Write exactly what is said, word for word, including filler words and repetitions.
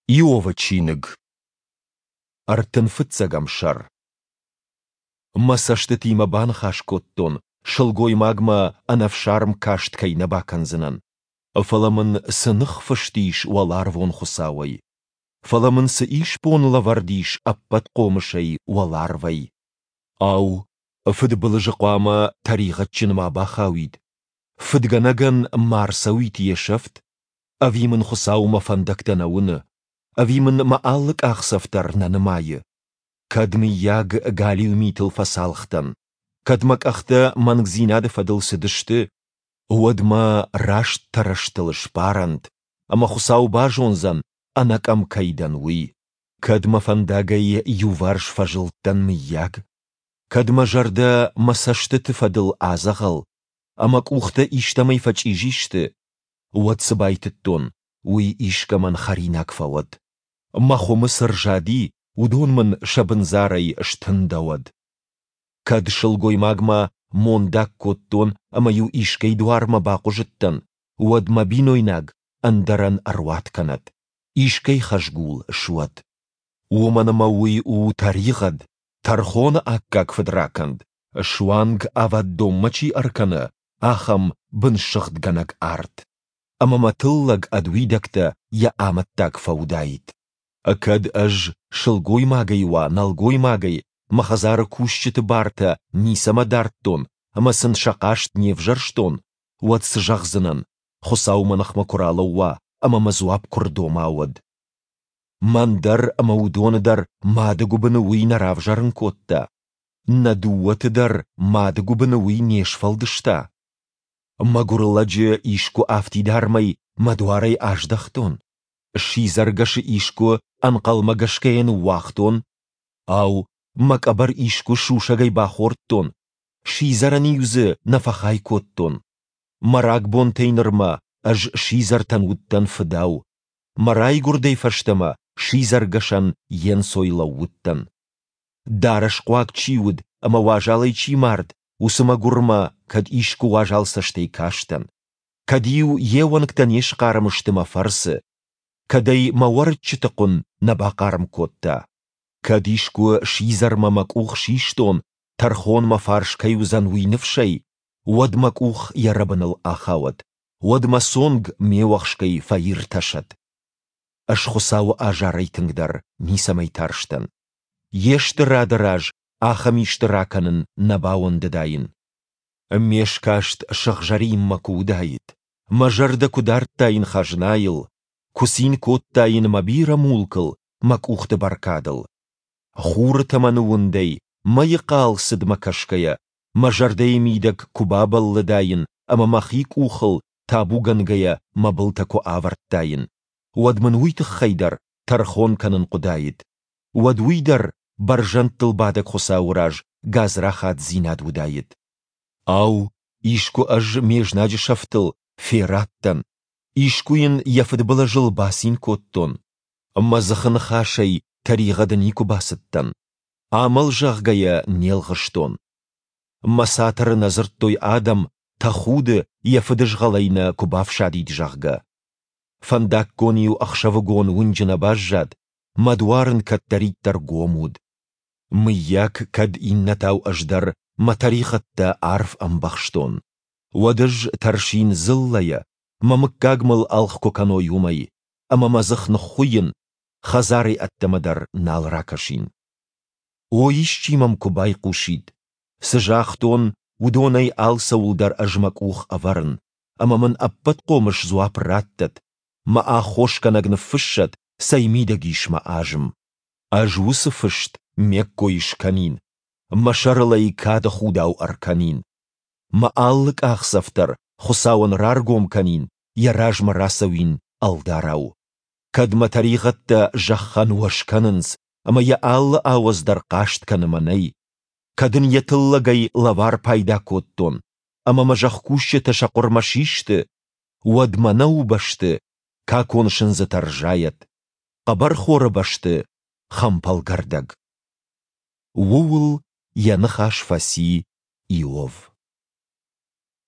Иовы чиныг, ӕртын фыццӕгӕм сӕр. Мӕ цӕстытимӕ баныхас кодтон, сылгоймагмӕ ӕнӕфсарм каст кӕй нӕ бакӕндзынӕн. Фӕлӕ мын цы ныхфыст ис уӕларвон Хуыцауӕй? Фӕлӕ мын цы исбон лӕвӕрд ис Ӕппӕтхъомысӕй уӕларвӕй? Ау, фыдбылызы хъуамӕ тӕригъӕдджын ма бахауид, фыдгӕнӕгӕн ма рцӕуид йе сӕфт? Ӕви мын Хуыцау мӕ фӕндӕгтӕ нӕ уыны? Ӕви мын мӕ алы къахдзӕф дӕр нӕ нымайы? Кӕд, мыййаг, галиу митыл фӕцалх дӕн, кӕд мӕ къӕхтӕ мӕнгдзинады фӕдыл цыдысты, уӕд мӕ раст тӕрӕзтыл сбарӕнт, ӕмӕ Хуыцау базондзӕн, ӕнӕкъӕм кӕй дӕн, уый. Кӕд мӕ фӕндагӕй иуварс фӕзылдтӕн, мыййаг? Кӕд мӕ зӕрдӕ мӕ цӕстыты фӕдыл адзӕгъӕл, ӕмӕ къухтӕ истӕмӕй фӕчъизи сты, уӕд цы байтыдтон, уый искӕмӕн хӕринаг фӕуӕд. Мӕ хуымы цы рзади, уыдон мын сӕ бындзарӕй стындӕуӕд. Кӕд сылгоймагмӕ мондаг кодтон ӕмӕ-иу искӕй дуармӕ бахъуызыдтӕн, уӕд мӕ бинойнаг ӕндӕрӕн ӕруат кӕнӕд, искӕй хӕзгул суӕд. Уымӕн ӕмӕ уый у тӕригъӕд, тӕрхоны аккаг фыдракӕнд, суанг ӕвӕддонмӕ чи ӕркӕны, ахӕм бынсыгъдгӕнӕг арт. Ӕмӕ мӕ тыллӕг ӕд уидӕгтӕ йӕ амӕттаг фӕуыдаид. Кӕд ӕз, сылгоймагӕй уа, нӕлгоймагӕй, мӕ хӕдзары кусджыты бартӕ ницӕмӕ дардтон ӕмӕ сын сӕ хъаст не взӕрстон, уӕд цы зӕгъдзынӕн, Хуыцау мӕ ныхмӕ куы ралӕууа ӕмӕ мӕ дзуапп куы рдома, уӕд? Мӕн дӕр ӕмӕ уыдоны дӕр мады гуыбыны уый нӕ равзӕрын кодта? Нӕ дыууӕты дӕр мады гуыбыны уый не сфӕлдыста? Мӕгуыр лӕджы искуы афтидармӕй мӕ дуарӕй аздӕхтон? Сидзӕргӕсы искуы ӕнхъӕлмӕгӕсгӕйӕ ныууагътон? Ау, мӕ къӕбӕр искуы сусӕгӕй бахордтон, сидзӕрӕн-иу дзы нӕ фӕхай кодтон? Мӕ рагбонтӕй нырмӕ ӕз сидзӕртӕн уыдтӕн фыдау, мӕ райгуырдӕй фӕстӕмӕ сидзӕргӕсӕн йе нцой лӕууыдтӕн. Дарӕсхъуаг чи уыд ӕмӕ уазалӕй чи мард, уыцы мӕгуырмӕ кӕд искуы уазал цӕстӕй кастӕн, кӕд-иу йе уӕнгтӕ не схъарм сты мӕ фӕрцы, кӕд ӕй мӕ уӕрыччыты хъуын нӕ бахъарм кодта, кӕд искуы сидзӕрмӕ мӕ къух систон, тӕрхон мӕ фарс кӕй уыдзӕн, уый ныфсӕй, уӕд мӕ къух йӕ рӕбыныл ахауӕд, уӕд мӕ цонг ме уӕхскӕй фӕиртӕсӕд. Ӕз Хуыцауы азарӕй тынгдӕр ницӕмӕй тарстӕн. Йе стырады раз ахӕм исты ракӕнын нӕ бауӕндыдаин. Ме скаст сыгъзӕринмӕ куы уыдаид, мӕ зӕрдӕ куы дардтаин хӕзнайыл, куы цин кодтаин мӕ бирӕ мулкыл, мӕ къухты бӕркадыл. Хуры тӕмӕны уындӕй, мӕйы хъал цыдмӕ кӕсгӕйӕ, мӕ зӕрдӕйы мидӕг куы бабӕллыдаин ӕмӕ мӕхи къухыл табугӕнгӕйӕ мӕ былтӕ куы авӕрдтаин, уӕд мын уый тыххӕй дӕр тӕрхон кӕнын хъуыдаид, уӕд уый дӕр бӕрзӕндтыл бадӕг Хуыцауы раз гадзрахатдзинад уыдаид. Ау, искуы ӕз ме знаджы сӕфтыл ферад дӕн, искуы йын йӕ фыдбылызыл бацин кодтон? Мӕ дзыхы ныхасӕй тӕригъӕды никуы бацыдтӕн, амӕл, зӕгъгӕ йӕ не лгъыстон. Мӕ цатыры нӕ дзырдтой адӕм, тӕхуды, йӕ фыдызгъӕлӕй нӕ куы бафсадид, зӕгъгӕ. Фӕндаггон-иу ӕхсӕвыгон уынджы нӕ баззад, мӕ дуар ын кӕддӕриддӕр гом уыд. Мыййаг, кӕд иннӕтау ӕз дӕр мӕ тӕригъӕдтӕ арф ӕмбӕхстон, уӕд ӕз тӕрсин дзыллӕйӕ, мӕ мыггаг мыл ӕлгъ куы кӕной, уымӕй, ӕмӕ мӕ дзых ныххуыйын, хӕдзарӕй ӕддӕмӕ дӕр нал ракӕсин. О, исчи мӕм куы байхъусид! Цы загътон, уыдонӕй алцӕуыл дӕр ӕз мӕ къух ӕвӕрын, ӕмӕ мын Ӕппӕтхъомыс дзуапп раттӕд, мӕ аххосгӕнӕг ныффыссӕд, цӕй мидӕг ис мӕ азым. Ӕз уыцы фыст ме ккой скӕнин, мӕ сӕрыл ӕй кады худау ӕркӕнин. Мӕ алы къахдзӕф дӕр Хуыцауӕн раргом кӕнин, йӕ размӕ рацӕуин ӕлдарау. Кӕд мӕ тӕригъӕдтӕ зӕххӕн уӕз кӕнынц, ӕмӕ йӕ алы ауӕдз дӕр хъаст кӕны мӕнӕй, кӕд ын йӕ тыллӕгӕй лӕвар пайда кодтон, ӕмӕ мӕ зӕхкусджытӕ сӕ хъуырмӕ систы, уӕд мӕнӕуы бӕсты какон сындзытӕ рзайӕд, хъӕбӕрхоры бӕсты хӕмпӕлгӕрдӕг. Ууыл йӕ ныхас фӕци Иов.